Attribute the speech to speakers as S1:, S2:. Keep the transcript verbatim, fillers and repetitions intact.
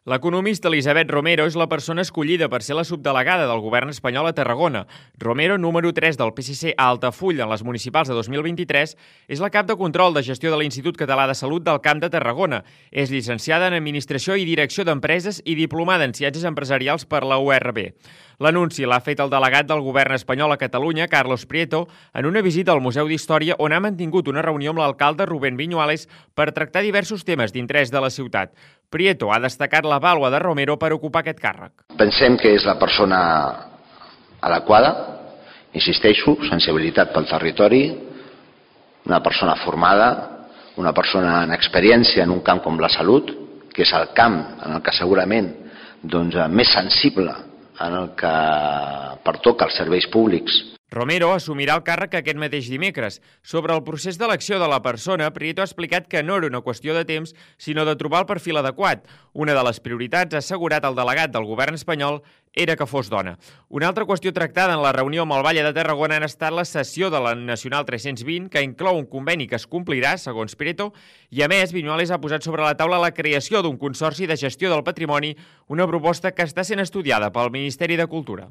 S1: L'economista Elisabet Romero és la persona escollida per ser la subdelegada del govern espanyol a Tarragona. Romero, número tres del P S C a Altafulla en les municipals de dos mil vint-i-tres, és la cap de control de gestió de l'Institut Català de Salut del Camp de Tarragona. És llicenciada en Administració i Direcció d'Empreses i diplomada en Ciències Empresarials per la U R B. L'anunci l'ha fet el delegat del govern espanyol a Catalunya, Carlos Prieto, en una visita al Museu d'Història on ha mantingut una reunió amb l'alcalde Rubén Viñuales per tractar diversos temes d'interès de la ciutat. Prieto ha destacat la vàlua de Romero per ocupar aquest càrrec.
S2: Pensem que és la persona adequada, insisteixo, sensibilitat pel territori, una persona formada, una persona en experiència en un camp com la salut, que és el camp en el que segurament doncs, més sensible en el que pertoca als serveis públics.
S1: Romero assumirà el càrrec aquest mateix dimecres. Sobre el procés d'elecció de la persona, Prieto ha explicat que no era una qüestió de temps, sinó de trobar el perfil adequat. Una de les prioritats, ha assegurat el delegat del govern espanyol, era que fos dona. Una altra qüestió tractada en la reunió amb el Valle de Tarragona ha estat la cessió de la Nacional tres-cents vint, que inclou un conveni que es complirà, segons Prieto, i a més, Viñuales ha posat sobre la taula la creació d'un consorci de gestió del patrimoni, una proposta que està sent estudiada pel Ministeri de Cultura.